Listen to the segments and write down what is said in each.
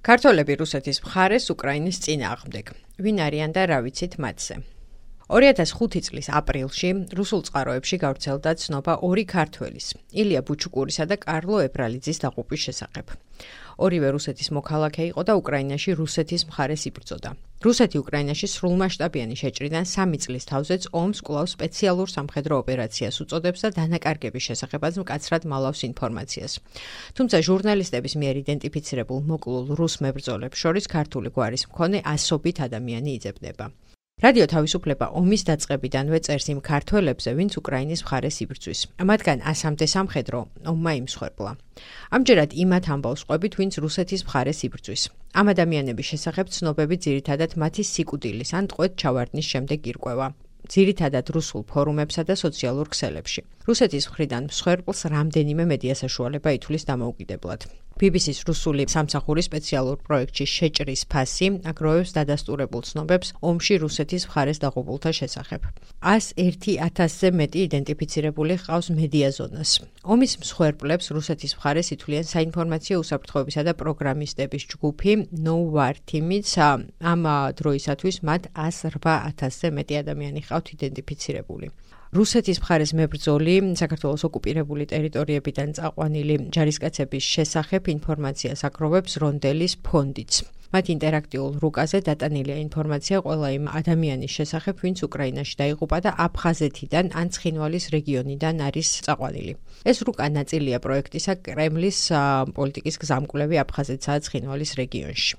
ქართველები რუსეთის მხარეს უკრაინის წინააღმდეგ. ვინ არიან და რა ვიცით მათზე? 2005 წლის აპრილში რუსულ წყაროებში გავრცელდა ცნობა ორი ქართველის, ილია ბუჩუკურისა და კარლო ებრალიძის დაღუპვის შესახებ. ორივე რუსეთის მოქალაქე იყო და უკრაინაში რუსეთის მხარეს იბრძოდა. რუსეთი უკრაინაში სრულმასშტაბიანი შეჭრიდან 3 წლის თავზეც ომს კვლავ სპეციალურ სამხედრო ოპერაციას უწოდებს და დანაკარგების შესახებაც მკაცრად მალავს ინფორმაციას. თუმცა ჟურნალისტების მიერ იდენტიფიცირებულ მოკლულ რუს მებრძოლებს შორის ქართული გვარის მქონე ასობით ადამიანი იძებნება. რადიო თავისუფლება ომის დაწყებიდანვე წერს იმ ქართველებზე, ვინც უკრაინის მხარეს იბრძვის. მათგან 100-მდე სამხედრო ომმა იმსხვერპლა. ამჯერად იმათ ამბავს ყვებით, ვინც რუსეთის მხარეს იბრძვის. ამ ადამიანების შესახებ ცნობები ძირითადად მათი სიკვდილის ან ტყვედ ჩავარდნის შემდეგ ირკვევა. ძირითადად რუსულ ფორუმებსა და სოციალურ ქსელებში. რუსეთის მხრიდან მსხვერპლს რამდენიმე მედია საშუალება ითვლის დამოუკიდებლად. BBC-ს რუსული სამსახური სპეციალურ პროექტში შეჭრის ფასი აგროვებს დადასტურებულ ცნობებს ომში რუსეთის მხარეს დაღუპულთა შესახებ. 101,000-ზე მეტი იდენტიფიცირებული ჰყავს მედია ზონას. ომის მსხვერპლებს რუსეთის მხარეს ითვლიან საინფორმაციო უსაფრთხოებისა და პროგრამისტების ჯგუფი No War Team-იც. ამ დროისათვის მათ 108,000-ზე მეტი ადამიანი ჰყავთ იდენტიფიცირებული. რუსეთის მხარეს მებრძოლი საქართველოს ოკუპირებული ტერიტორიებიდან წაყვანილი ჯარისკაცების შესახებ ინფორმაციას აგროვებს რონდელის ფონდიც. მათ ინტერაქტიულ რუკაზე დატანილია ინფორმაცია ყველა იმ ადამიანის შესახებ, ვინც უკრაინაში დაიღუპა და აფხაზეთიდან ან ცხინვალის რეგიონიდან არის წაყვანილი. ეს რუკა ნაწილია პროექტისა კრემლის პოლიტიკის გზამკვლევი აფხაზეთსა და ცხინვალის რეგიონში.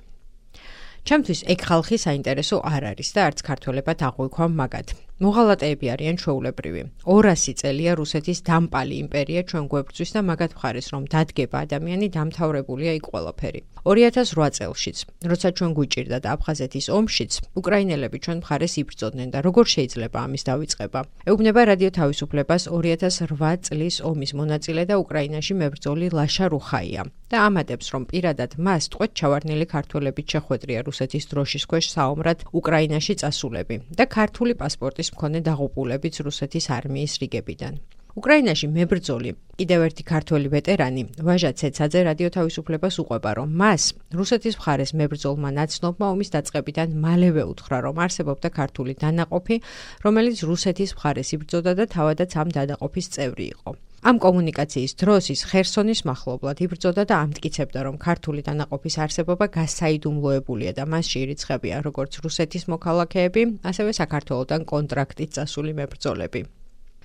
ჩემთვის ეგ ხალხი საინტერესო არ არის და არც ქართველებად აღვიქვამ მაგად. მოღალატეები არიან ჩვეულებრივი. 200 წელია რუსეთის დამპალი იმპერია ჩვენ გვებრძვის და მაგად მხარეს რომ დადგება ადამიანი დამთავრებულია იქ ყველაფერი. 2008 წელშიც, როცა ჩვენ გვიჭირდა და აფხაზეთის ომშიც, უკრაინელები ჩვენ მხარეს იბრძოდნენ და როგორ შეიძლება ამის დავიწყება? ეუბნება რადიო თავისუფლებას 2008 წლის ომის მონაწილე და უკრაინაში მებრძოლი ლაშა რუხაია და ამატებს, რომ პირადად მას ტყვედ ჩავარდნილი ქართველებით შეხვედრია რუსეთის დროშის ქვეშ საომრად უკრაინაში წასულები და ქართული პასპორტის მქონე დაღუპულებიც რუსეთის არმიის რიგებიდან. უკრაინაში მებრძოლი, კიდევ ერთი ქართველი ვეტერანი, ვაჟა ცეცაძე რადიო თავისუფლებას უყვება, რომ მას რუსეთის მხარეს მებრძოლმა ნაცნობმა ომის დაწყებიდან მალევე უთხრა, რომ არსებობდა ქართული დანაყოფი, რომელიც რუსეთის მხარეს იბრძოდა და თავადაც ამ დანაყოფის წევრი იყო. ამ კომუნიკაციის დროს ის ხერსონის მახლობლად იბრძოდა და ამტკიცებდა, რომ ქართული დანაყოფის არსებობა გასაიდუმლოებულია და მასში ირიცხებიან როგორც რუსეთის მოქალაქეები, ასევე საქართველოდან კონტრაქტით წასული მებრძოლები.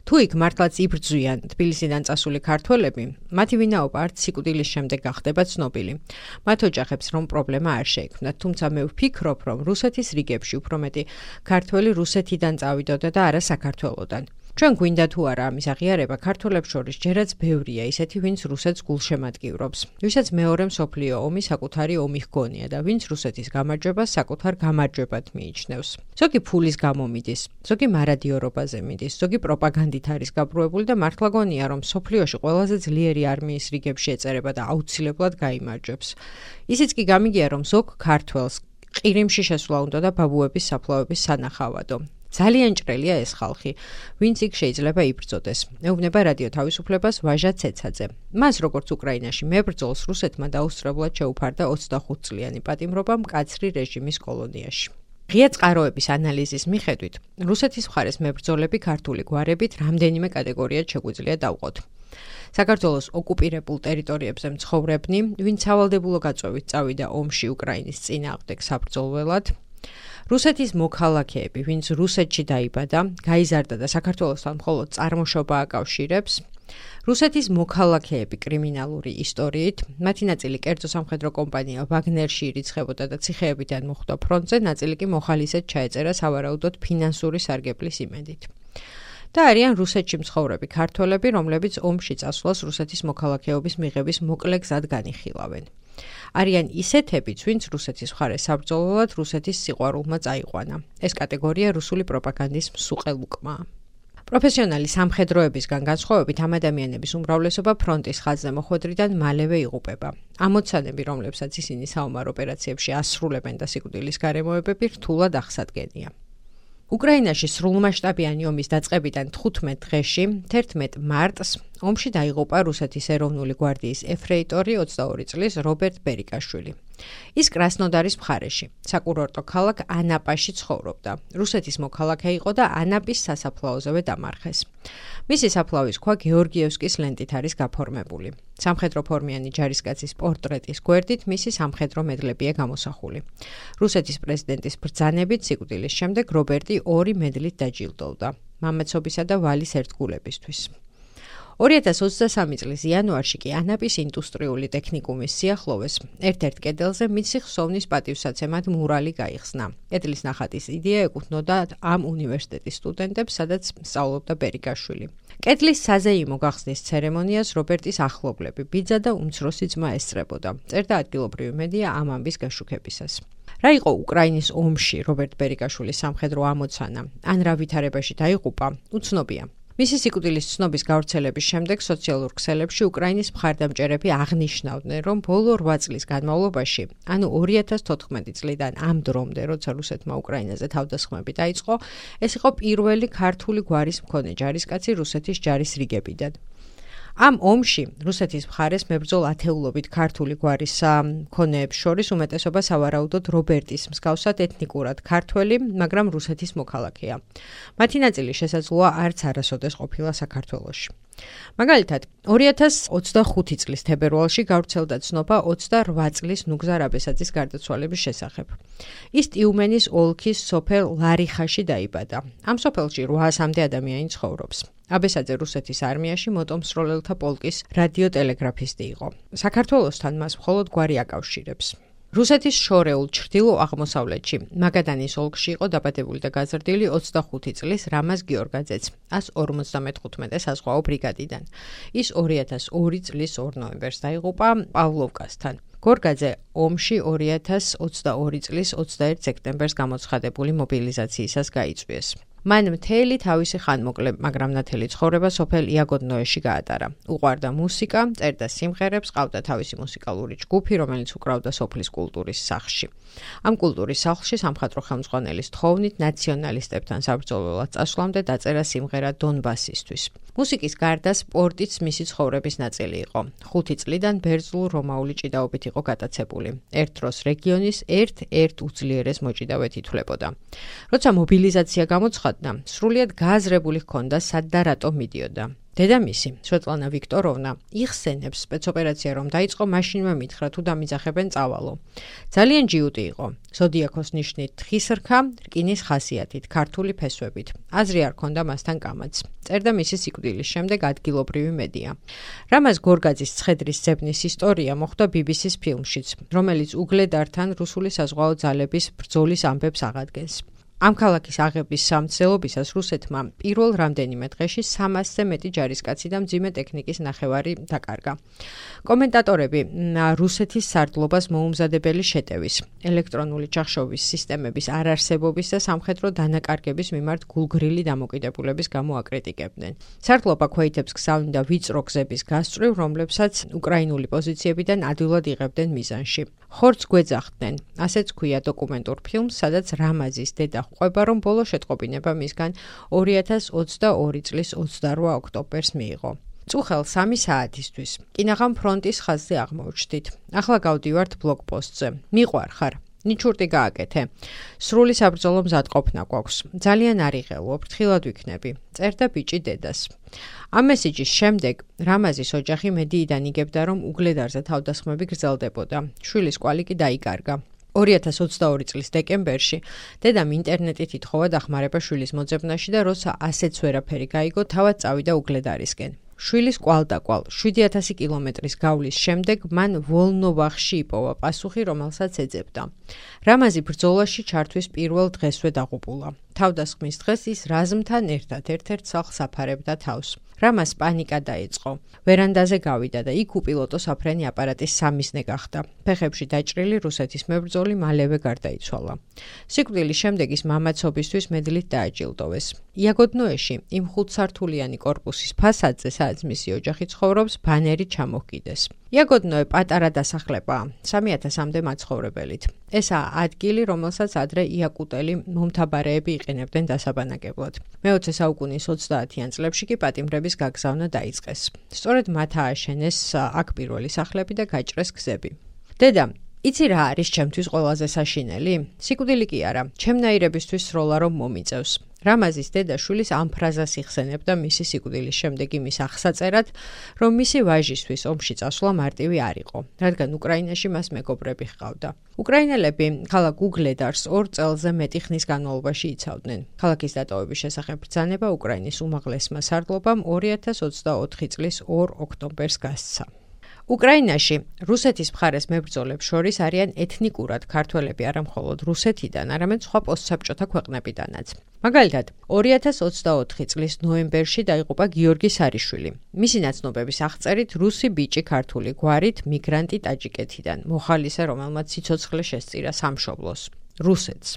თუ იქ მართლაც იბრძვიან თბილისიდან წასული ქართველები, მათი ვინაობა არც სიკვდილის შემდეგ გახდება ცნობილი. მათ ოჯახებს რომ პრობლემა არ შეექმნათ, თუმცა მე ვფიქრობ, რომ რუსეთის რიგებში უფრო მეტი ქართველი რუსეთიდან წავიდოდა და არა საქართველოდან. ჩვენ გვინდა თუ არა ამის აღიარება, ქართველებს შორის ჯერაც ბევრია ისეთი, ვინც რუსეთს გულშემატკივრობს, ვისაც მეორე მსოფლიო ომი საკუთარი ომი ჰგონია და ვინც რუსეთის გამარჯვებას საკუთარ გამარჯვებად მიიჩნევს. ზოგი ფულის გამო მიდის, ზოგი მარადიორობაზე მიდის, ზოგი პროპაგანდით არის გაბრუებული და მართლა გონია, რომ მსოფლიოში ყველაზე ძლიერი არმიის რიგებში ეწერება და აუცილებლად გაიმარჯვებს. ისიც კი გამიგია, რომ ზოგ ქართველს ყირიმში შესვლა უნდა და ბაბუების საფლავების სანახავადო. ძალიან ჭრელია ეს ხალხი, ვინც იქ შეიძლება იბრძოდეს. ეუბნება რადიო თავისუფლებას ვაჟა ცეცაძე. მას როგორც უკრაინაში მებრძოლს რუსეთმა დაუსწრებლად შეუფარდა 25 წლიანი პატიმრობა მკაცრი რეჟიმის კოლონიაში. ღია წყაროების ანალიზის მიხედვით, რუსეთის მხარეს მებრძოლები ქართული გვარებით რამდენიმე კატეგორიად შეგვიძლია დავყოთ. საქართველოს ოკუპირებულ ტერიტორიებზე მცხოვრებნი, ვინც სავალდებულო გაწვევით წავიდა ომში უკრაინის წინააღმდეგ საბრძოლველად, რუსეთის მოქალაქეები, ვინც რუსეთში დაიბადა, გაიზარდა და საქართველოსთან მხოლოდ წარმოშობა აკავშირებს, რუსეთის მოქალაქეები კრიმინალური ისტორიით, მათი ნაწილი კერძო სამხედრო კომპანია ვაგნერში ირიცხებოდა და ციხეებიდან მოხვდა ფრონტზე, ნაწილი კი მოხალისედ ჩაეწერა სავარაუდოდ ფინანსური სარგებლის იმედით. და არიან რუსეთში მცხოვრები ქართველები, რომლებიც ომში წასვლას რუსეთის მოქალაქეობის მიღების მოკლე გზად განიხილავენ. არიან ისეთებიც, ვინც რუსეთის მხარეს საბრძოლველად რუსეთის სიყვარულმა წაიყვანა. ეს კატეგორია რუსული პროპაგანდის მსუყელ უკმაა. პროფესიონალი სამხედროებისგან განსხვავებით ამ ადამიანების უმრავლესობა ფრონტის ხაზზე მოხვედრიდან მალევე იღუპება. ამოცანები, რომლებსაც ისინი საომარ ოპერაციებში ასრულებენ და სიკვდილის გარემოებები რთულად აღსადგენია. უკრაინაში სრულმასშტაბიანი ომის დაწყებიდან 15 დღეში, 11 მარტს, ომში დაიღუპა რუსეთის ეროვნული გვარდიის ეფრეიტორი 22 წლის რობერტ ბერიკაშვილი. ის კრასნოდარის მხარეში, საკურორტო ქალაქ ანაპაში ცხოვრობდა. რუსეთის მოქალაქე იყო და ანაპის სასაფლაოზევე დამარხეს. მისი საფლავის ქვა გეორგიევსკის ლენტით არის გაფორმებული. სამხედრო ფორმიანი ჯარისკაცის პორტრეტის გვერდით მისი სამხედრო მედლებია გამოსახული. რუსეთის პრეზიდენტის ბრძანებით სიკვდილის შემდეგ რობერტი 2 მედლით დაჯილდოვდა მამაცობისა და ვალის ერთგულებისთვის. 2023 წლის იანვარში კი ანაპის ინდუსტრიული ტექნიკუმის სიახლოვეს ერთ-ერთ კედელზე მისი ხსოვნის პატივსაცემად მურალი გაიხსნა. კედლის ნახატის იდეა ეკუთვნოდა ამ უნივერსიტეტის სტუდენტებს, სადაც სწავლობდა ბერიკაშვილი. კედლის საზეიმო გახსნის ცერემონიას რობერტის ახლობლები, ბიძა და უმცროსი ძმა ესწრებოდა. წერდა ადგილობრივი მედია ამ ამბის გაშუქებისას. რა იყო უკრაინის ომში რობერტ ბერიკაშვილის სამხედრო ამოცანა, ან რა ვითარებაში დაიღუპა, უცნობია. მისი სიკვდილის ცნობის გავრცელების შემდეგ სოციალურ ქსელებში უკრაინის მხარდამჭერები აღნიშნავდნენ, რომ ბოლო 8 წლის განმავლობაში, ანუ 2014 წლიდან ამ დრომდე, როცა რუსეთმა უკრაინაზე თავდასხმები დაიწყო, ეს იყო პირველი ქართული გვარის მქონე ჯარისკაცი რუსეთის ჯარის რიგებიდან. ამ ომში რუსეთის მხარეს მებრძოლ ათეულობით ქართული გვარის მქონეებს შორის უმეტესობა სავარაუდოდ რობერტის მსგავსად ეთნიკურად ქართველი, მაგრამ რუსეთის მოქალაქეა. მათი ნაწილი შესაძლოა არც არასოდეს ყოფილა საქართველოში. მაგალითად, 2025 წლის თებერვალში გავრცელდა ცნობა 28 წლის ნუგზარ აბესაძის გარდაცვალების შესახებ. ის ტიუმენის ოლქის სოფელ ლარიხაში დაიბადა. ამ სოფელში 800-მდე ადამიანი ცხოვრობს. აბესაძე რუსეთის არმიაში მოტომსროლელთა პოლკის რადიოტელეგრაფისტი იყო. საქართველოსთან მას მხოლოდ გვარი აკავშირებს. რუსეთის შორეულ ჩრდილო-აღმოსავლეთში, მაგადანის ოლქში იყო დაბადებული და გაზრდილი 25 წლის რამაზ გიორგაძეც, 155 საზღვაო ბრიგადიდან. ის 2002 წლის 2 ნოემბერს დაიღუპა პავლოვკასთან. გორგაძე ომში 2022 წლის 21 სექტემბერს გამოცხადებული მობილიზაციისას გაიწვიეს. მან მთელი თავისი ხანმოკლე, მაგრამ ნათელი ცხოვრება სოფელ იაგოდნოეში გაატარა. უყვარდა მუსიკა, წერდა სიმღერებს, ყავდა თავისი მუსიკალური ჯგუფი, რომელიც უკრავდა სოფლის კულტურის სახლში. ამ კულტურის სახლში სამხატვრო ხელმძღვანელის თხოვნით ნაციონალისტებთან საბრძოლველად წასვლამდე დაწერა სიმღერა დონბასისთვის. მუსიკის გარდა სპორტიც მისი ცხოვრების ნაწილი იყო. 5 წლიდან ბერძნულ-რომაული ჭიდაობით იყო გატაცებული. ერთ დროს რეგიონის ერთ-ერთ უძლიერეს მოჭიდავედ ითვლებოდა. როცა მობილიზაცია გამოცხადდა, სრულიად გააზრებული ჰქონდა სად და რატომ მიდიოდა. დედამისი, სვეტლანა ვიქტოროვნა, იხსენებს სპეცოპერაცია რომ დაიწყო, მაშინვე მითხრა თუ დამიძახებენ წავალო. ძალიან ჯიუტი იყო. ზოდიაქოს ნიშნით თხის რქა, რკინის ხასიათით, ქართული ფესვებით. აზრი არ ჰქონდა მასთან კამაც. წერდა მისი სიკვდილის შემდეგ ადგილობრივი მედია. რამაზ გორგაძის ცხედრის ძებნის ისტორია მოხდა BBC-ს ფილმშიც, რომელიც უგლედართან რუსული საზღვაო ძალების ბრძოლის ამბებს აღადგენს. ამ ქალაქის აღების სამცდელობისას რუსეთმა პირველ რამდენიმე დღეში 300-ზე მეტი ჯარისკაცი და მძიმე ტექნიკის ნახევარი დაკარგა. კომენტატორები რუსეთის სარდლობას მოუმზადებელი შეტევის, ელექტრონული ჩახშობის სისტემების არარსებობის და სამხედრო დანაკარგების მიმართ გულგრილი დამოკიდებულების გამო აკრიტიკებდნენ. სარდლობა ქვეითებს გზავნიდა ვიწრო გზების გასწვრივ, რომლებსაც უკრაინული პოზიციებიდან ადვილად იღებდნენ მიზანში. ხორცს გვეძახდნენ, ასეც ქვია დოკუმენტურ ფილმს, სადაც რამაზის დედა ყვება, რომ ბოლო შეტყობინება მისგან 2022 წლის 28 ოქტომბერს მიიღო. წუხელ 3 საათისთვის. კინაღამ ფრონტის ხაზზე აღმოჩნდით. ახლა გავდივართ ბლოკპოსტზე. მიყვარხარ. ნიჩურტი გააკეთე. სრული საბრძოლო მზადყოფნა გვაქვს. ძალიან არიღელო, ფრთხილად ვიქნები. წერდა ბიჭი დედას. ამ მესიჯის შემდეგ რამაზის ოჯახი მედიიდან იგებდა, რომ უგლედარზე თავდასხმები გრძელდებოდა. შვილის კვალი კი დაიკარგა. 2022 წლის დეკემბერში დედამ ინტერნეტით ითხოვა დახმარება შვილის მოძებნაში და როცა ასეც ვერაფერი გაიგო, თავად წავიდა უგლედარისკენ. შვილის კვალდაკვალ 7000 კილომეტრის გავლის შემდეგ მან ვოლნოვახში იპოვა პასუხი, რომელსაც ეძებდა. რამაზი ბრძოლაში ჩართვის პირველ დღესვე დაღუპულა. თავდასხმის დღეს ის რაზმთან ერთად ერთ-ერთ სახლს აფარებდა თავს. რამას პანიკა დაიწყო. ვერანდაზე გავიდა და იქ უპილოტო საფრენი აპარატის სამიზნე გახდა. ფეხებში დაჭრილი რუსეთის მებრძოლი მალევე გარდაიცვალა. სიკვდილის შემდეგ ის მამაცობისთვის მედლით დააჯილდოვეს. იაგოდნოეში იმ 5-სართულიანი კორპუსის ფასადზე, სადაც მისი ოჯახი ცხოვრობს, ბანერი ჩამოჰკიდეს. იაგოდნოე პატარა დასახლებაა, 3000-მდე მაცხოვრებელით. ესაა ადგილი, რომელსაც ადრე იაკუტელი მომთაბარეები იყენებდნენ დასაბანაკებლად. მე-20 საუკუნის 30-იან წლებში კი პატიმრების გაგზავნა დაიწყეს. სწორედ მათ ააშენეს აქ პირველი სახლები და გაჭრეს გზები. დედა იცი რა არის ჩემთვის ყველაზე საშინელი? სიკვდილი კი არა, ჩემნაირებისთვის სროლა რომ მომიწევს. რამაზის დედაშვილის ამ ფრაზას იხსენებდა მისი სიკვდილის შემდეგ იმის აღსაწერად, რომ მისი ვაჟისთვის ომში წასვლა მარტივი არ იყო, რადგან უკრაინაში მას მეგობრები ჰყავდა. უკრაინელები ქალაქ უგლედარს 2 წელზე მეტი ხნის განმავლობაში იცავდნენ. ქალაქის დატოვების შესახებ ბრძანება უკრაინის უმაღლესმა სარდლობამ 2024 წლის 2 ოქტომბერს გასცა. უკრაინაში რუსეთის მხარეს მებრძოლებს შორის არიან ეთნიკურად ქართველები არა მხოლოდ რუსეთიდან, არამედ სხვა პოსტსაბჭოთა ქვეყნებიდანაც. მაგალითად, 2024 წლის ნოემბერში დაიღუპა გიორგი სარიშვილი. მისი ნაცნობების აღწერით რუსი ბიჭი ქართული გვარით მიგრანტი ტაჯიკეთიდან, მოხალისე, რომელმაც სიცოცხლე შესწირა სამშობლოს, რუსეთს.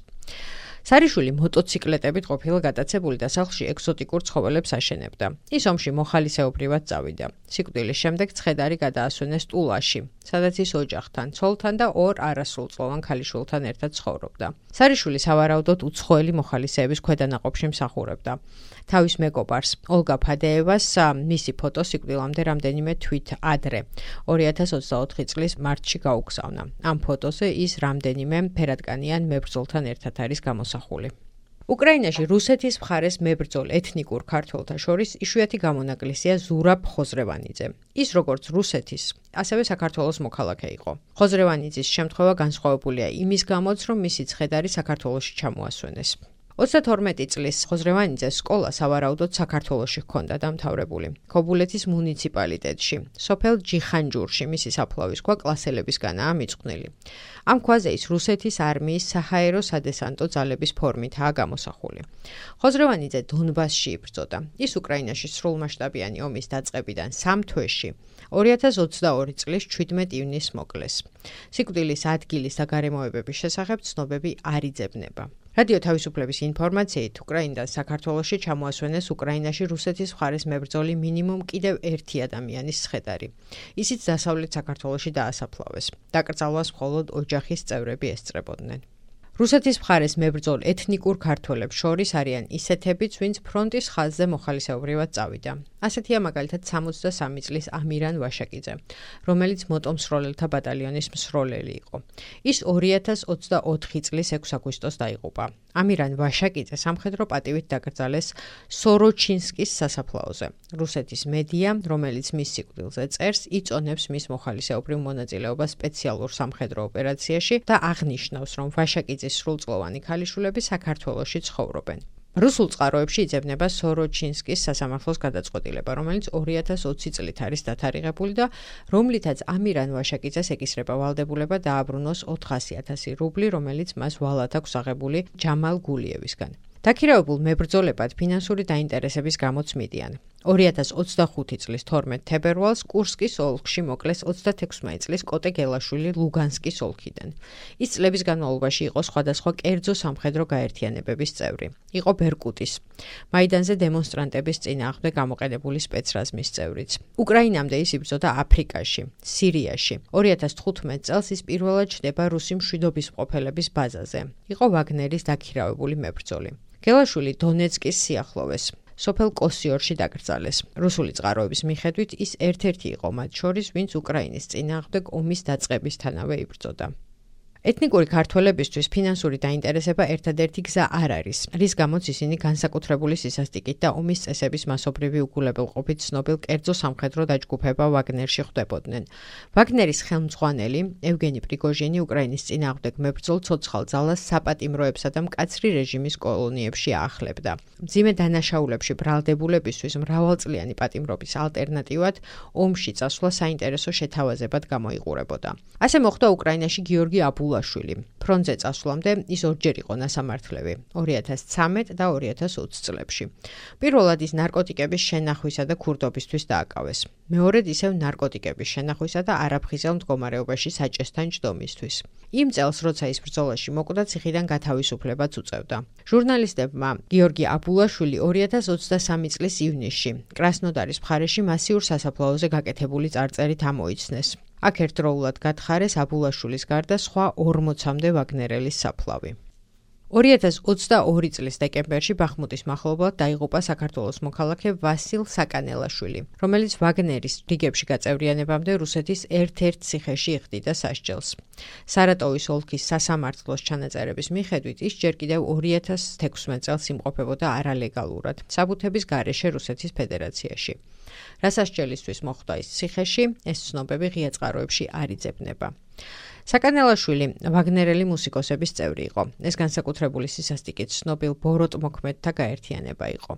სარიშვილი მოტოციკლეტებით ყოფილა გატაცებული და სახლში ეგზოტიკურ ცხოველებს აშენებდა. ის ომში მოხალისეობრივად წავიდა. სიკვდილის შემდეგ ცხედარი გადაასვენეს ტულაში, სადაც ის ოჯახთან, ცოლთან და 2 არასრულწლოვან ქალიშვილთან ერთად ცხოვრობდა. სარიშვილი სავარაუდოდ უცხოელი მოხალისეების ქვედანაყოფში მსახურებდა. თავის მეგობარს, ოლგა ფადეევას მისი ფოტო სიკვდილამდე რამდენიმე თვით ადრე, 2024 წლის მარტში გაუგზავნა. ამ ფოტოზე ის რამდენიმე ფერადკანიან მებრძოლთან ერთად არის გამოსახული. უკრაინაში რუსეთის მხარეს მებრძოლ ეთნიკურ ქართველთა შორის იშვიათი გამონაკლისია ზურაბ ხოზრევანიძე. ის როგორც რუსეთის, ასევე საქართველოს მოქალაქე იყო. ხოზრევანიძის შემთხვევა განსხვავებულია იმის გამოც, რომ მისი ცხედარი საქართველოში ჩამოასვენეს. 32 წლის ხოზრევანიძეს სკოლა სავარაუდოდ საქართველოში ჰქონდა დამთავრებული. ქობულეთის მუნიციპალიტეტში, სოფელ ჯიხანჯურში მისი საფლავის ქვა კლასელებისგანაა მიწყვნილი. ამ ქვაზე ის რუსეთის არმიის საჰაერო სადესანტო ძალების ფორმითაა გამოსახული. ხოზრევანიძე დონბასში იბრძოდა. ის უკრაინაში სრულმასშტაბიანი ომის დაწყებიდან 3 თვეში 2022 წლის 17 ივნისს მოკლეს. სიკვდილის ადგილის და გარემოებების შესახებ ცნობები არ იძებნება. რადიო თავისუფლების ინფორმაციით, უკრაინიდან საქართველოში ჩამოასვენეს უკრაინაში რუსეთის მხარეს მებრძოლი მინიმუმ კიდევ 1 ადამიანის ცხედარი. ისიც დასავლეთ საქართველოში დაასაფლავეს. დაკრძალვას მხოლოდ ოჯახის წევრები ესწრებოდნენ. რუსეთის მხარეს მებრძოლ ეთნიკურ ქართველებს შორის არიან ისეთებიც, ვინც ფრონტის ხაზზე მოხალისეობრივად წავიდა. ასეთია მაგალითად 63 წლის ამირან ვაშაკიძე, რომელიც მოტომსროლელთა ბატალიონის მსროლელი იყო. ის 2024 წლის 6 აგვისტოს დაიღუპა. ამირან ვაშაკიძე სამხედრო პატივით დაკრძალეს სოროჩინსკის სასაფლაოზე. რუსეთის მედია, რომელიც მის სიკვდილზე წერს, იწონებს მის მოხალისეობრივ მონაწილეობას სპეციალურ სამხედრო ოპერაციაში და აღნიშნავს, რომ ვაშაკიძის სრულწლოვანი ქალიშვილები საქართველოში ცხოვრობენ. რუსულ წყაროებში იძებნება სოროჩინსკის სასამართლოს გადაწყვეტილება, რომელიც 2020 წლით არის დათარიღებული და რომლითაც ამირან ვაშაკიძეს ეკისრება ვალდებულება დააბრუნოს 400,000 რუბლი, რომელიც მას ვალად აქვს აღებული ჯამალ გულიევისგან. დაქირავებულ მებრძოლებად ფინანსური დაინტერესების გამოც მიდიან. 2025 წლის 12 თებერვალს კურსკის ოლქში მოკლეს 36 წლის კოტე გელაშვილი ლუგანსკის ოლქიდან. ის წლების განმავლობაში იყო სხვადასხვა კერძო სამხედრო გაერთიანებების წევრი. იყო ბერკუტის, მაიდანზე დემონსტრანტების წინააღმდეგ გამოყენებული სპეცრაზმის წევრიც. უკრაინამდე ის იბრძოდა აფრიკაში, სირიაში. 2015 წელს ის პირველად ჩნდება რუსი მშვიდობის მყოფელების ბაზაზე. იყო ვაგნერის დაქირავებული მებრძოლი. გელაშვილი დონეცკის სიახლოვეს, სოფელ კოსიორში დაკრძალეს. რუსული წყაროების მიხედვით ის ერთ-ერთი იყო მათ შორის, ვინც უკრაინის წინააღმდეგ ომის დაწყებისთანავე იბრძოდა. ეთნიკური ქართველებისთვის ფინანსური დაინტერესება ერთადერთი გზა არ არის, რის გამოც ისინი განსაკუთრებული სისასტიკით და ომის წესების მასობრივი უგულებელყოფით ცნობილ კერძო სამხედრო დაჯგუფება ვაგნერში ხვდებოდნენ. ვაგნერის ხელმძღვანელი ევგენი პრიგოჟინი უკრაინის წინააღმდეგ მებრძოლ ცოცხალ ძალას საპატიმროებსა და მკაცრი რეჟიმის კოლონიებში აახლებდა. მძიმე დანაშაულებში ბრალდებულებისთვის მრავალწლიანი პატიმრობის ალტერნატივად ომში წასვლა საინტერესო შეთავაზებად გამოიყურებოდა. ასე მოხდა უკრაინაში გიორგი აბულაშვილი. ფრონტზე წასვლამდე ის ორჯერ იყო ნასამართლები, 2013 და 2020 წლებში. პირველად ის ნარკოტიკების შენახვისა და ქურდობისთვის დააკავეს. მეორედ ისევ ნარკოტიკების შენახვისა და არაფხიზელ მდგომარეობაში საჭესთან ჯდომისთვის. იმ წელს, როცა ის ბრძოლაში მოკვდა, ციხიდან გათავისუფლებაც უწევდა. ჟურნალისტებმა გიორგი აბულაშვილი 2023 წლის ივნისში კრასნოდარის მხარეში მასიურ სასაფლაოზე გაკეთებული წარწერით ამოიცნეს. აქ ერთდროულად გათხარეს აბულაშვილის გარდა სხვა 40-მდე ვაგნერელის საფლავი. 2022 წლის დეკემბერში ბახმუტის მახლობლად დაიღუპა საქართველოს მოქალაქე ვასილ საკანელაშვილი, რომელიც ვაგნერის რიგებში გაწევრიანებამდე რუსეთის ერთ-ერთ ციხეში იხდიდა სასჯელს. სარატოვის ოლქის სასამართლოს ჩანაწერების მიხედვით ის ჯერ კიდევ 2016 წელს იმყოფებოდა არალეგალურად, საბუთების გარეშე რუსეთის ფედერაციაში. რა სასჯელისთვის მოხვდა ის ციხეში, ეს ცნობები ღია წყაროებში არ იძებნება. საკანელაშვილი ვაგნერელი მუსიკოსების წევრი იყო. ეს განსაკუთრებული სისასტიკით ცნობილ ბოროტ მოქმედთა გაერთიანება იყო.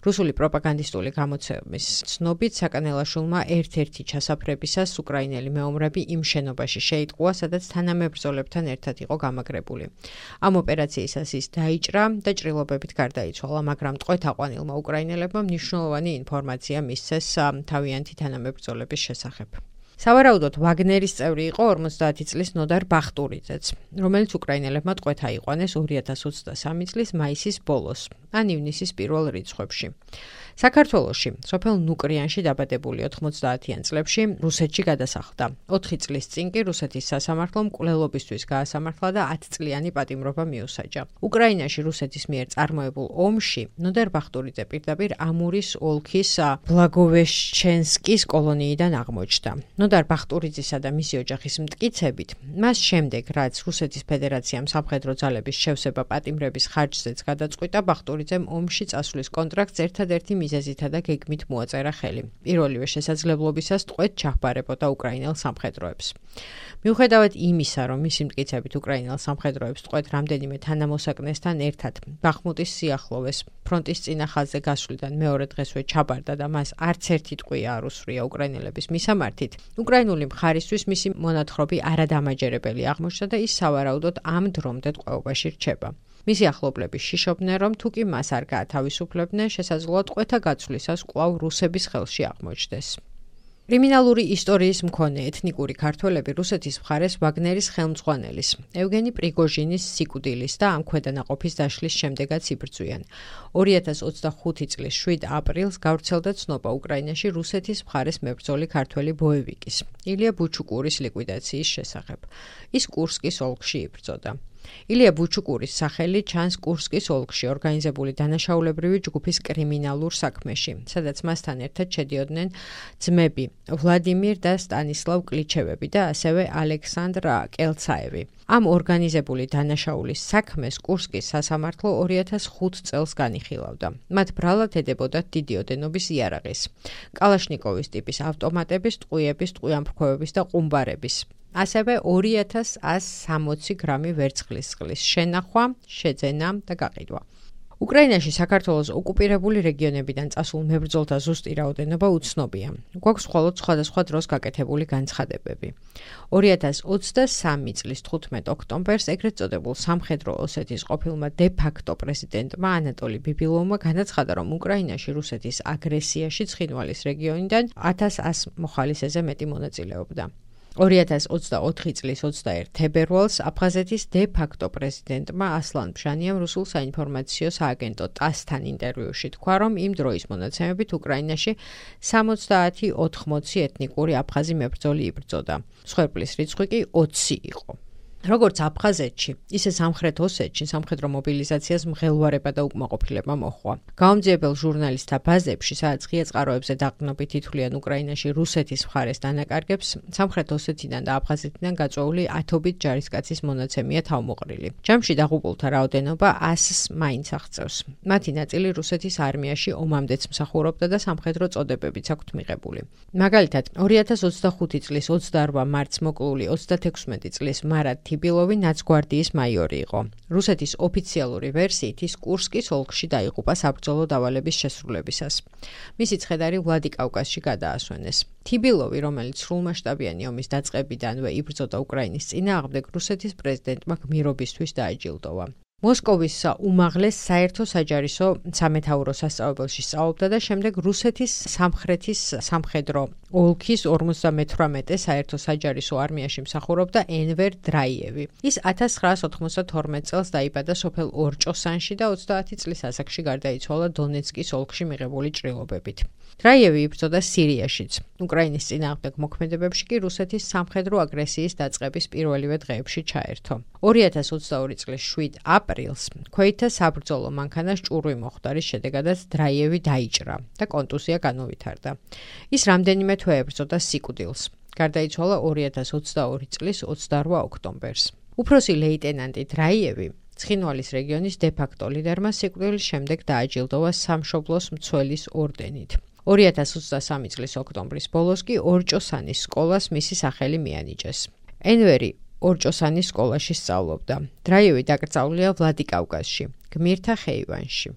რუსული პროპაგანდისტული გამოცემის ცნობით საკანელაშვილმა ერთ-ერთი ჩასაფრებისას უკრაინელი მეომრები იმ შენობაში შეიტყუა, სადაც თანამებრძოლებთან ერთად იყო გამაგრებული. ამ ოპერაციისას ის დაიჭრა და ჭრილობებით გარდაიცვალა, მაგრამ ტყვეთ-აყვანილმა უკრაინელებმა მნიშვნელოვანი ინფორმაცია მისცეს თავიანთი თანამებრძოლების შესახებ. სავარაუდოდ ვაგნერის წევრი იყო 50 წლის ნოდარ ბახტურიძეც, რომელიც უკრაინელებმა ტყვეთ აიყვანეს 2023 წლის მაისის ბოლოს, ან ივნისის პირველ რიცხვებში. საქართველოში, სოფელ ნუკრიანში დაბადებული 90-იან წლებში რუსეთში გადასახლდა. 4 წლის წინ კი რუსეთის სასამართლომ მკვლელობისთვის გაასამართლა და 10 წლიანი პატიმრობა მიუსაჯა. უკრაინაში რუსეთის მიერ წარმოებულ ომში ნოდარ ბახტურიძე პირდაპირ ამურის ოლქის ბლაგოვეშჩენსკის კოლონიიდან აღმოჩნდა. ნოდარ ბახტურიძისა და მისი ოჯახის მტკიცებით, მას შემდეგ, რაც რუსეთის ფედერაციამ სამხედრო ძალების შევსება პატიმრების ხარჯზეც გადაწყვიტა, ბახტურიძემ ომში წასვლის კონტრაქტს ერთადერთი მიზეზითა და გეგმით მოაწერა ხელი. პირველივე შესაძლებლობისას ტყვეთ ჩაჰბარებოდა უკრაინელ სამხედროებს. მიუხედავად იმისა, რომ მისი მტკიცებით უკრაინელ სამხედროებს ტყვეთ რამდენიმე თანამოსაკნესთან ერთად ბახმუტის სიახლოვეს ფრონტის წინა ხაზზე გასვლიდან მეორე დღესვე ჩაბარდა და მას არც ერთი ტყვია არ უსვრია უკრაინელების მისამართით, უკრაინული მხარისთვის მისი მონათხრობი არადამაჯერებელი აღმოჩნდა და ის სავარაუდოდ ამ დრომდე ტყვეობაში რჩება. მისი ახლობლები შიშობდნენ, რომ თუ კი მას არ გაათავისუფლებდნენ, შესაძლოა ტყვეთა გაცვლისას კვლავ რუსების ხელში აღმოჩნდეს. კრიმინალური ისტორიის მქონე ეთნიკური ქართველები რუსეთის მხარეს ვაგნერის ხელმძღვანელის, ევგენი პრიგოჟინის სიკვდილის და ამ ქვედანაყოფის დაშლის შემდეგაც იბრძვიან. 2025 წლის 7 აპრილს გავრცელდა ცნობა უკრაინაში რუსეთის მხარეს მებრძოლი ქართველი ბოევიკის, ილია ბუჩუკურის ლიკვიდაციის შესახებ. ის კურსკის ოლქში იბრძოდა. ილია ბუჩუკურის სახელი ჩანს კურსკის ოლქში ორგანიზებული დანაშაულებრივი ჯგუფის კრიმინალურ საქმეში, სადაც მასთან ერთად შედიოდნენ ძმები ვლადიმირ და სტანისლავ კლიჩევები და ასევე ალექსანდრ კელცაევი. ამ ორგანიზებული დანაშაულის საქმეს კურსკის სასამართლო 2005 წელს განიხილავდა. მათ ბრალად ედებოდათ დიდი ოდენობის იარაღის, კალაშნიკოვის ტიპის ავტომატების, ტყვიების, ტყვიამფრქვევების და ყუმბარების. ასევე 2160 გრამი ვერცხლის წყლის შენახვა, შეძენა და გაყიდვა. უკრაინაში საქართველოს ოკუპირებული რეგიონებიდან წასულ მებრძოლთა ზუსტი რაოდენობა უცნობია. გვაქვს მხოლოდ სხვადასხვა დროს გაკეთებული განცხადებები. 2023 წლის 15 ოქტომბერს ეგრეთ წოდებულ სამხედრო ოსეთის ყოფილმა დე-ფაქტო პრეზიდენტმა ანატოლი ბიბილოვმა განაცხადა, რომ უკრაინაში რუსეთის აგრესიაში ცხინვალის რეგიონიდან 1100 მოხალისეზე მეტი მონაწილეობდა. 2024 წლის 21 თებერვალს აფხაზეთის დე-ფაქტო პრეზიდენტმა ასლან ბჟანიამ რუსულ საინფორმაციო სააგენტო ტასთან ინტერვიუში თქვა, რომ იმ დროის მონაცემებით უკრაინაში 70-80 ეთნიკური აფხაზი მებრძოლი იბრძოდა. მსხვერპლის რიცხვი კი 20 იყო. როგორც აფხაზეთში, ისე სამხრეთ ოსეთში სამხედრო მობილიზაციას მღელვარება და უკმაყოფილება მოჰყვა. გაუმძიებელ ჟურნალისტთა ბაზებში, სადაც ღია წყაროებზე დაყრდნობით ითვლიან უკრაინაში რუსეთის მხარეს დანაკარგებს, სამხრეთ ოსეთიდან და აფხაზეთიდან გაწვეული 1000-ობით ჯარისკაცის მონაცემია თავმოყრილი. ჯამში დაღუპულთა რაოდენობა 100-ს მაინც აღწევს. მათი ნაწილი რუსეთის არმიაში ომამდეც მსახურობდა და სამხედრო წოდებებიც აქვთ მიღებული. მაგალითად, 2025 წლის 28 მარტს მოკლული 36 წლის მარად თიბილოვი ნაცგვარდიის მაიორი იყო. რუსეთის ოფიციალური ვერსიით ის კურსკის ოლქში დაიღუპა საბრძოლო დავალების შესრულებისას. მისი ცხედარი ვლადიკავკაზში გადაასვენეს. თიბილოვი, რომელიც სრულმასშტაბიანი ომის დაწყებიდანვე იბრძოდა უკრაინის წინააღმდეგ, რუსეთის პრეზიდენტმა გმირობისთვის დააჯილდოვა. მოსკოვის უმაღლეს საერთო საჯარისო სამეთაურო სასწავლებელში სწავლობდა და შემდეგ რუსეთის სამხრეთის სამხედრო ოლქის 58 საერთო საჯარისო არმიაში მსახურობდა ენვერ დრაიევი. ის 1992 წელს დაიბადა სოფელ ორჭოსანში და 30 წლის ასაკში გარდაიცვალა დონეცკის ოლქში მიღებული ჭრილობებით. დრაიევი იბრძოდა სირიაშიც. უკრაინის წინააღმდეგ მოქმედებებში კი რუსეთის სამხედრო აგრესიის დაწყების პირველივე დღეებში ჩაერთო. 2022 წლის 7 აპრილს ქვეითთა საბრძოლო მანქანას ჭურვი მოხვდა, რის შედეგადაც დრაიევი დაიჭრა და კონტუზია განუვითარდა. ის რამდენიმე თვე ებრძოდა სიკვდილს. გარდაიცვალა 2022 წლის 28 ოქტომბერს. უფროსი ლეიტენანტი დრაიევი ცხინვალის რეგიონის დე-ფაქტო ლიდერმა სიკვდილის შემდეგ დააჯილდოვა სამშობლოს მცველის ორდენით. 2023 წლის ოქტომბრის ბოლოს კი ორჭოსანის სკოლას მისი სახელი მიანიჭეს. ენვერი ორჭოსანის სკოლაში სწავლობდა. დრაიევი დაკრძალულია ვლადიკავკაზში, გმირთა ხეივანში.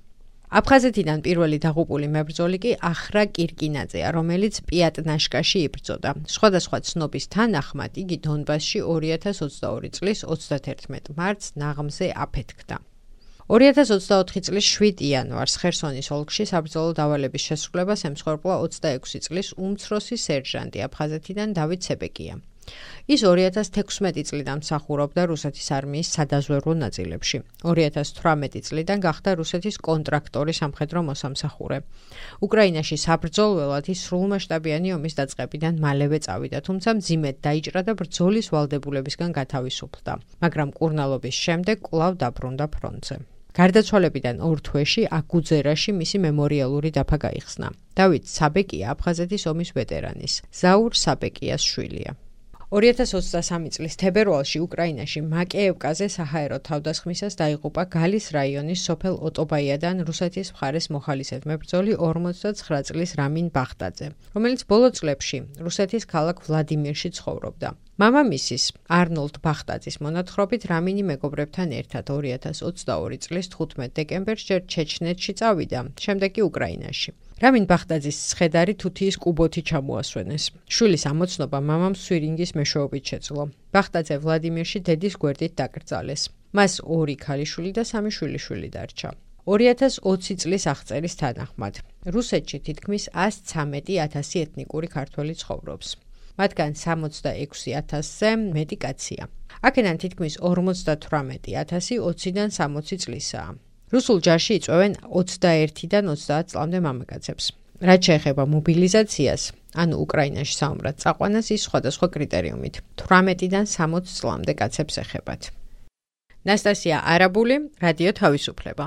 აფხაზეთიდან პირველი დაღუპული მებრძოლი კი ახრა კირკინაძეა, რომელიც პიატნაშკაში იბრძოდა. სხვადასხვა ცნობის თანახმად იგი დონბასში 2022 წლის 31 მარტს ნაღმზე აფეთქდა. 2024 წლის 7 იანვარს ხერსონის ოლქში საბრძოლო დავალების შესრულებას ემსხვერპლა 26 წლის უმცროსი სერჟანტი აფხაზეთიდან დავით ცებეკია. ის 2016 წლიდან მსახურობდა რუსეთის არმიის სადაზვერვო ნაწილებში. 2018 წლიდან გახდა რუსეთის კონტრაქტორი სამხედრო მოსამსახურე. უკრაინაში საბრძოლველად ის სრულმასშტაბიანი ომის დაწყებიდან მალევე წავიდა, თუმცა მძიმედ დაიჭრა და ბრძოლის ვალდებულებისგან გათავისუფლდა, მაგრამ კურნალობის შემდეგ კვლავ დაბრუნდა ფრონტზე. გარდაცვალებიდან 2 თვეში აგუძერაში მისი მემორიალური დაფა გაიხსნა. დავით საბეკია აფხაზეთის ომის ვეტერანის, ზაურ საბეკიას შვილია. 2023 წლის თებერვალში უკრაინაში მაკეევკაზე საჰაერო თავდასხმისას დაიღუპა გალის რაიონის სოფელ ოტობაიადან რუსეთის მხარეს მოხალისედ მებრძოლი 59 წლის რამინ ბახტაძე, რომელიც ბოლო წლებში რუსეთის ქალაქ ვლადიმირში ცხოვრობდა. მამამისის არნოლდ ბახტაძის მონათხრობით რამინი მეგობრებთან ერთად 2022 წლის 15 დეკემბერს ჯერ ჩეჩნეთში წავიდა, შემდეგ კი უკრაინაში. რამინ ბახტაძის ცხედარი თუთიის კუბოთი ჩამოასვენეს. შვილის ამოცნობა მამამ სვირინგის მეშვეობით შეძლო. ბახტაძე ვლადიმირში დედის გვერდით დაკრძალეს. მას 2 ქალიშვილი და 3 შვილიშვილი დარჩა. 2020 წლის აღწერის თანახმად, რუსეთში თითქმის 113,000 ეთნიკური ქართველი ცხოვრობს. მათგან 66,000-ზე მეტი კაცია. აქედან თითქმის 58,000 20-დან 60 წლისაა. რუსულ ჯარში იწვევენ 21-დან 30 წლამდე მამაკაცებს. რაც შეეხება მობილიზაციას, ანუ უკრაინაში საომრად წაყვანას, ის სხვადასხვა კრიტერიუმით 18-დან 60 წლამდე კაცებს ეხებათ. ნასტასია არაბული, რადიო თავისუფლება.